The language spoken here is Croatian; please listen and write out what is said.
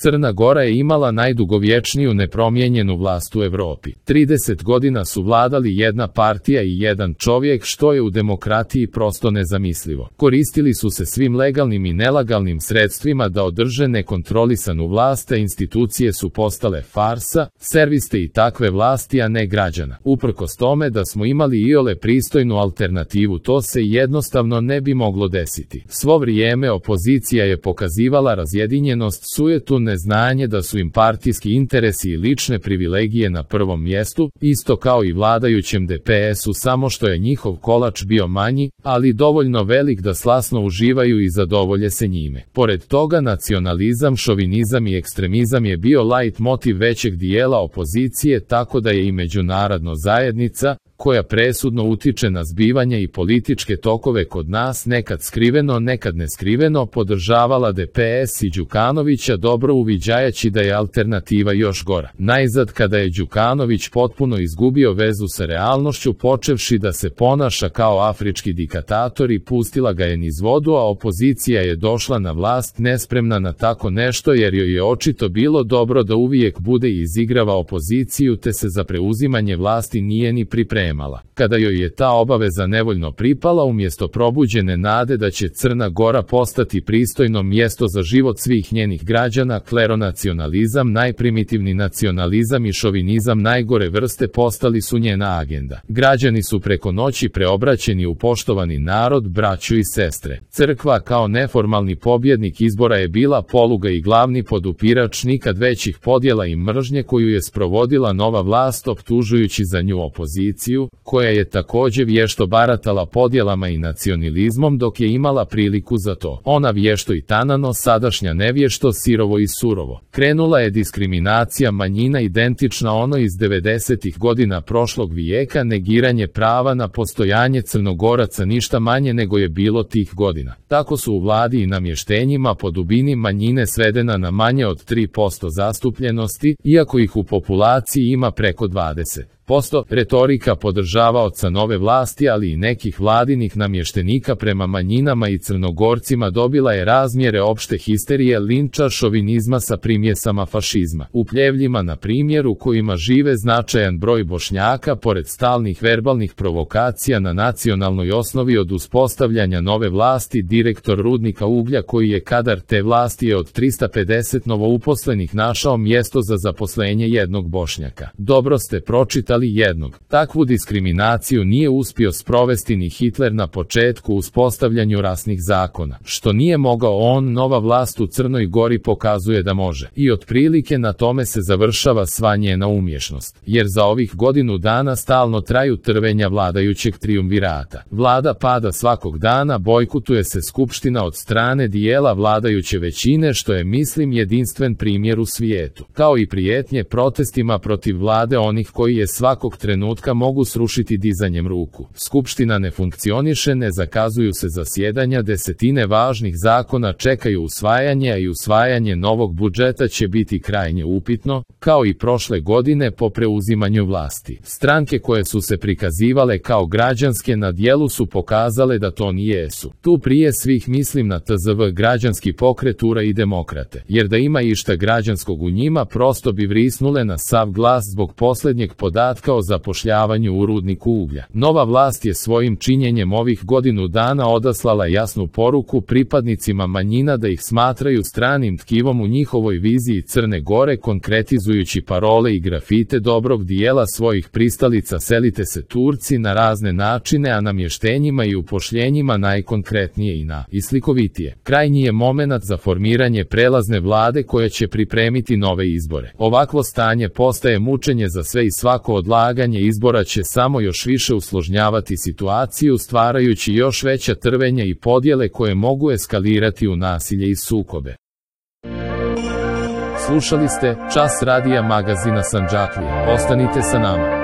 Crna Gora je imala najdugovječniju nepromijenjenu vlast u Europi. 30 godina su vladali jedna partija i jedan čovjek, što je u demokratiji prosto nezamislivo. Koristili su se svim legalnim i nelegalnim sredstvima da održe nekontrolisanu vlast, a institucije su postale farsa, serviste i takve vlasti, a ne građana. Uprkos tome da smo imali iole pristojnu alternativu, to se jednostavno ne bi moglo desiti. Svo vrijeme opozicija je pokazivala razjedinjenost, sujetu, neznanje da su im partijski interesi i lične privilegije na prvom mjestu, isto kao i vladajućem DPS-u, samo što je njihov kolač bio manji, ali dovoljno velik da slasno uživaju i zadovolje se njime. Pored toga, nacionalizam, šovinizam i ekstremizam je bio light motiv većeg dijela opozicije, tako da je i međunarodna zajednica, koja presudno utiče na zbivanje i političke tokove kod nas, nekad skriveno, nekad neskriveno, podržavala DPS i Đukanovića, dobro uviđajući da je alternativa još gora. Najzad, kada je Đukanović potpuno izgubio vezu sa realnošću, počevši da se ponaša kao afrički diktator, i pustila ga je niz vodu, a opozicija je došla na vlast nespremna na tako nešto, jer joj je očito bilo dobro da uvijek bude i izigrava opoziciju, te se za preuzimanje vlasti nije ni pripremala. Kada joj je ta obaveza nevoljno pripala, umjesto probuđene nade da će Crna Gora postati pristojno mjesto za život svih njenih građana, kleronacionalizam, najprimitivni nacionalizam i šovinizam najgore vrste postali su njena agenda. Građani su preko noći preobraćeni u poštovani narod, braću i sestre. Crkva kao neformalni pobjednik izbora je bila poluga i glavni podupirač nikad većih podjela i mržnje koju je sprovodila nova vlast, optužujući za nju opoziciju, koja je također vješto baratala podjelama i nacionalizmom dok je imala priliku za to. Ona vješto i tanano, sadašnja nevješto, sirovo i surovo. Krenula je diskriminacija manjina identična ono iz 90-ih godina prošlog vijeka, negiranje prava na postojanje Crnogoraca ništa manje nego je bilo tih godina. Tako su u vladi i namještenjima po dubini manjine svedena na manje od 3% zastupljenosti, iako ih u populaciji ima preko 20%. Retorika podržavaoca nove vlasti, ali i nekih vladinih namještenika prema manjinama i Crnogorcima dobila je razmjere opšte histerije, linča, šovinizma sa primjesama fašizma. U Pljevljima, na primjer, u kojima žive značajan broj Bošnjaka, pored stalnih verbalnih provokacija na nacionalnoj osnovi od uspostavljanja nove vlasti, direktor rudnika uglja koji je kadar te vlasti je od 350 novouposlenih našao mjesto za zaposlenje jednog Bošnjaka. Dobro ste pročitali jednog. Takvu diskriminaciju nije uspio sprovesti ni Hitler na početku uspostavljanju rasnih zakona. Što nije mogao on, nova vlast u Crnoj Gori pokazuje da može. I otprilike na tome se završava sva njena umješnost. Jer za ovih godinu dana stalno traju trvenja vladajućeg trijumvirata. Vlada pada svakog dana, bojkotuje se skupština od strane dijela vladajuće većine, što je, mislim, jedinstven primjer u svijetu. Kao i prijetnje protestima protiv vlade onih koji je svakog trenutka mogu srušiti dizanjem ruku. Skupština ne funkcioniše, ne zakazuju se zasjedanja, desetine važnih zakona čekaju usvajanje, a i usvajanje novog budžeta će biti krajnje upitno, kao i prošle godine po preuzimanju vlasti. Stranke koje su se prikazivale kao građanske na dijelu su pokazale da to nijesu. Tu prije svih mislim na TZV, građanski pokret, URA i Demokrate. Jer da ima išta građanskog u njima, prosto bi vrisnule na sav glas zbog posljednjeg podatka o zapošljavanju u rudniku uglja. Nova vlast je svojim činjenjem ovih godinu dana odaslala jasnu poruku pripadnicima manjina da ih smatraju stranim tkivom u njihovoj viziji Crne Gore, konkretizujući parole i grafite dobrog dijela svojih pristalica selite se Turci na razne načine, a namještenjima i upošljenjima najkonkretnije i najslikovitije. Krajnji je momenat za formiranje prelazne vlade koja će pripremiti nove izbore. Ovakvo stanje postaje mučenje za sve i svako odlaganje izbora će samo još više usložnjavati situaciju, stvarajući još veća trvenja i podjele koje mogu eskalirati u nasilje i sukobe. Slušali ste Čas radija magazina Sandžaklije. Ostanite sa nama.